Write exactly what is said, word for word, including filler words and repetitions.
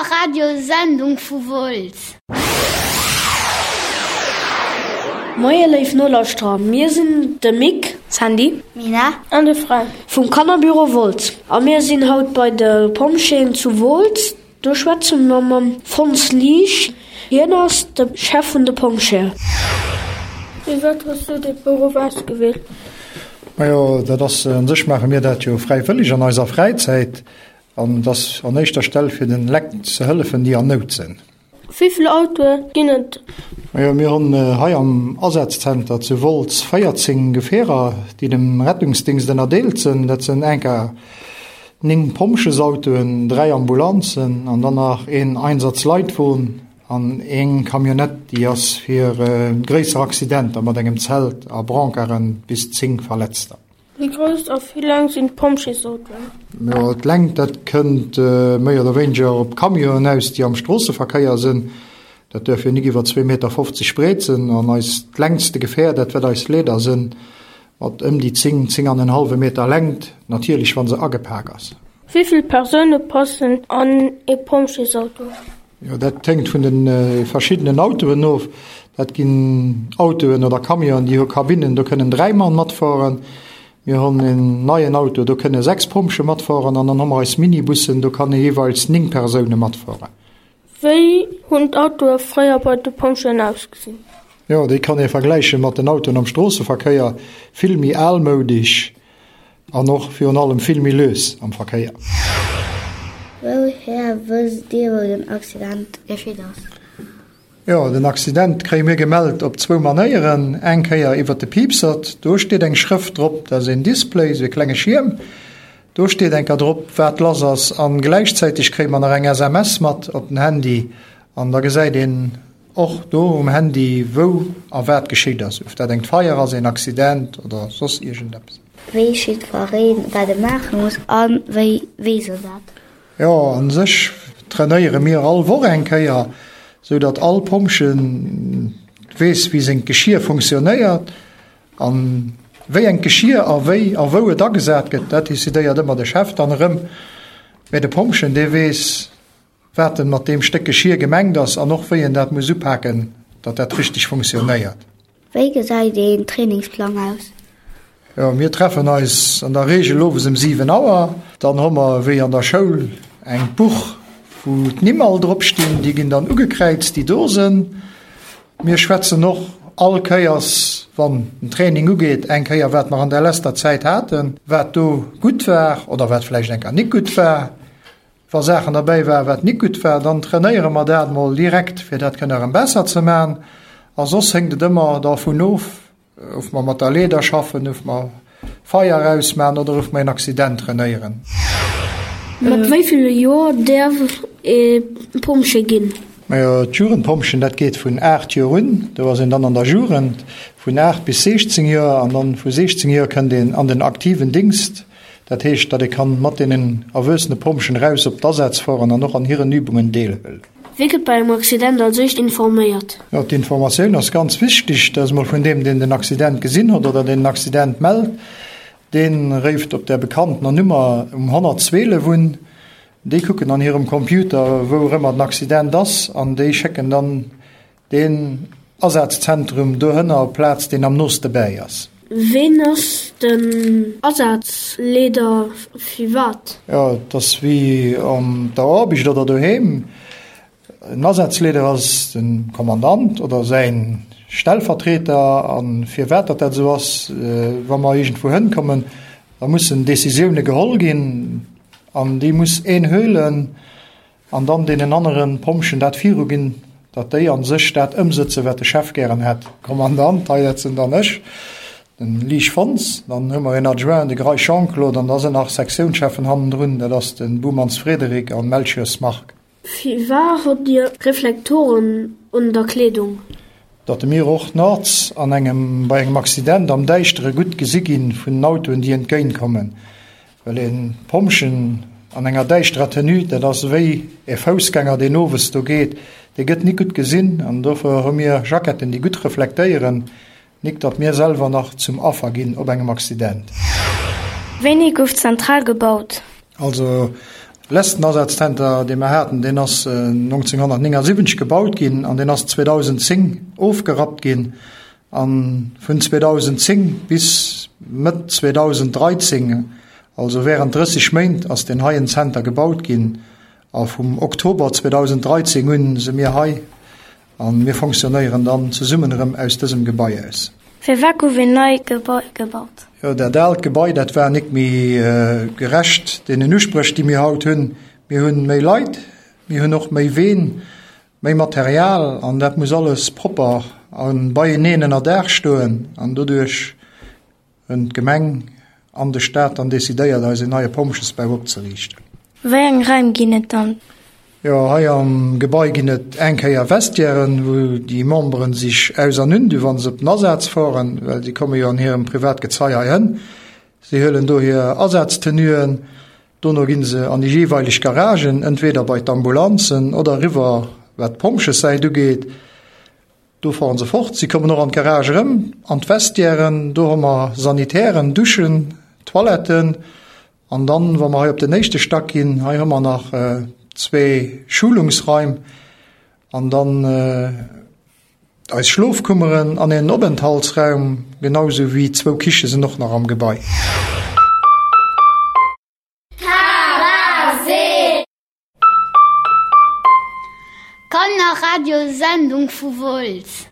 Kannerradiosendung vu Wolz. Moie léif Nolauschterer, mir sinn de Mick, Sandy, Mina an de Frank vum Kannerbüro Wolz a mir sinn haut bei de Pompjeeën zu Wolz. Do schwätze mer mam Fons Liesch, hien ass de Chef vun de Pompjeeën. Firwat hues du de Beruff ausgewielt? Majo, dat ass, un sech maache mir dat jo fräiwëlleg an eiser Fräizäit an et ass an éischter Stell fir den Lekt ze hëllefen, déi an Nout sinn. Wéi vill Autoe ginn et? Majo, mir hunn hei am Asazzenter zu Wolz véierzéng Gefierer, déi dem Rettungsdingscht ënnerdeelt sinn. Dat sinn enker néng Pompjesautoen, dräi Ambulanzen an dann nach een Einsatzleitwon an eng Camionnette, déi ass fir gréisser Accidenter mat engem Zelt a Brancarden bis zéng Verletzter. Wéi grouss a wéi laang sinn d'Pompjeesautoen? Jo, d'Längt, dat kënnt méi oder wéineger op d'Camionen aus, déi am Stroosseverkéier sinn. Dat duerf jo nik iwwer zwee Meter fofzeg breet sinn. An eist längste Gefähr, dat wat eis Leeder sinn, mat ëm déi zéng, zéng an en hallwe Meter Längt, natierlech wa se agepak ass. Wéi vill Persoune passen an ee Pompjeesauto? Jo, dat hänkt vun de verschiddenen Autoen of. Dat ginn Autoen oder Camionen, déi hu Kabinnen, do kënnen dräi Mann matfueren. Mir hunn en neien Auto, do kënne sechs Pompjee matfueren. An dann hu mer eis Minibussen, do kann ee jeeweils néng Persoune matfueren. Wéi hunn d'Autoe fréier bei de Pompjeeën ausgesinn? Jo, déi kann ee vergläiche mat den Autoen am Stroosseverkéier, vill méi almoudesch an och virun allem vill méi lues am Verkéier. Wouhier wësst Dir, wou den Accident geschitt ass? Jo, den Accident kréie mir gemellt op zwou Manéieren. Eng Kéier iwwer de Piipsert, do steet eng Schrëft drop, dat ass een Display, esou e klenge Schierm, do steet eng Kéier drop, wat lass ass. An gläichzäiteg kréie mer nach eng S M S mat op den Handy an da gesäit een och do um Handy, wou a wat geschitt ass, of dat eng Feier ass, een Accident oder soss iergendeppes. Weess jiddwereen, wat e maache muss a wéi weess en dat? Jo, an sech trainéiere mir all Woch eng Kéier, sou datt all Pompje weess, wéi seng Geschier funktionéiert an wéi eng Geschier a wéi a wou et agesat gëtt, dat decidéiert ëmmer de Chef dann erëm. Mä de Pompjen, dee weess, wat en mat deem Stéck Geschier gemengt ass an och wéi en dat muss upaken, datt dat richteg funktionéiert. Wéi gesäit een Trainingsplang aus? Jo, mir treffen eis an der Reegel owes ëm siwen Auer. Dann hu mer wéi an der Schoul eng Buch, wou d'Nimm all drop stinn, déi ginn dann ugekräizt, déi do sinn. Mir schwätzen och all Kéiers, wann den Training ugeet, eng Kéier, wat mer an der leschter Zäit haten, wat do gutt war oder wat vläicht eng Kéier nik gutt war. Wa Saachen derbäi war, wat nik gutt war, dann trainéiere mer dat mol direkt, fir dat kënne erëm besser ze man. A soss hänkt et ëmmer dervun of, of mer mat der Leeder schaffen, of mer Feier ausman oder of mer en Accident trainéieren. Mat wéi ville Joer däerf ee Pompjee ginn? Majo, d'Jugendpompjen, dat geet vun aacht Joer un, do ass een dann an der Jugend, vun aacht bis siechzéng Joer, an dann vu siechzéng Joer kënnt een an den aktiven Dingst. Dat heescht, datt ee kann mat deenen erwuessene Pompjen raus op d'Asätz fueren an och an hiren Übungen deelhuelen. Wie gëtt bei engem Accident als éischt informéiert? Jo, d'Informatioun ass ganz wichteg. Dat ass mol vun deem, deen den Accident gesinn huet oder deen den Accident mellt. Dee réift op der bekanntener Nummer um honnertzwielef un. Déi kucken an hirem Computer, wou erëmmer den Accident ass, an déi schécken dann den Asazentrum dohënner op d'Plaz, deen am nooste bäi ass. Ween ass den Asazleeder firwat? Jo, et ass wéi an der Aarbecht oder doheem. En Asazleeder ass de Kommandant oder säin Stellvertreter. A firwat datt dat esou ass, wa mer iergendwou hënkommen, da mussen Decisioune geholl ginn an déi muss een huelen an dann deenen anere Pompjen dat viruginn, datt déi a sech dat ëmsëtzen, wat de Chef gären hätt. Kommandant, hei dat sinn dann ech, den Liesch Fons, dann hu mer een Adjoint, de Greis Jean-Claude, an da sinn nach Sektiounscheffen hannendrun, dat ass de Bumans Frédéric an Melchiors Marc. Firwat hutt Dir Reflektoren un der Kleedung? Datt mir och nuets an engem, bei engem Accident am Däischtere gutt gesi ginn vun den Autoen, déi entgéintkommen. Well e Pompjen an enger däischterer Tenue, dat ass wéi e Foussgänger, deen owes do geet, dee gëtt nik gutt gesinn. An dofir hu mir Jacketten, déi gutt reflektéieren, nik datt mir selwer nach zum Affer ginn op engem Accident. Wéini gouf d'Zentral gebaut? Also Letzten Asazzenter, dee mer haten, deen ass nonzénghonnertnéngasiwwenzeg gebaut ginn an deen ass zweedausendzéng ofgerappt ginn. A vun zweedausendzéng bis Mëtt zweedausenddräizéng, also während drësseg Méint, ass deen heien Zenter gebaut ginn. A vum Oktober zweedausenddräizéng un si mir hei a mir fonctionnéieren dann zesummen erëm aus dësem Gebai aus. Firwat gouf een neit Gebai gebaut? Jo, dat aalt Gebai, dat war nik méi gerecht deenen Uspréch, déi mir haut hunn. Mir hunn méi Leit, mir hunn och méi Ween, méi Material an dat muss alles propper a beieneen ënner Daach stoen. An doduerch hunn d'Gemeng an de Staat dann decidéiert, eis een neie Pompjesbau opzeriichten. Wéi eng Raim ginn et dann? Jo, hei am Gebai ginn et eng Kéier Vestiairen, wou déi Memberen sech aus an un du wa se op den Asaz fueren, well si komme jo an hirem Privatgezei hei hënn. Si huelen do hir Asaztenuen, dono gi se an déi jeeweileg Garagen, entweder bei d'Ambulanzen oder eriwwer wat d'Pompjessäit ugeet. Do fahren se fort. Si kommen och an d'Garage erëm, an d'Vestiairen. Do hu mer Sanitären, Duschen, Toiletten. An dann, wa mer hei op den éischte Stack ginn, hei hu mer nach zwee Schulungsraim an dann eis Schlofkummeren an een Openthaltsraum, genau sou wéi zwou Kiche sinn och nach am Gebai. Kannerradiosendung vu Wolz.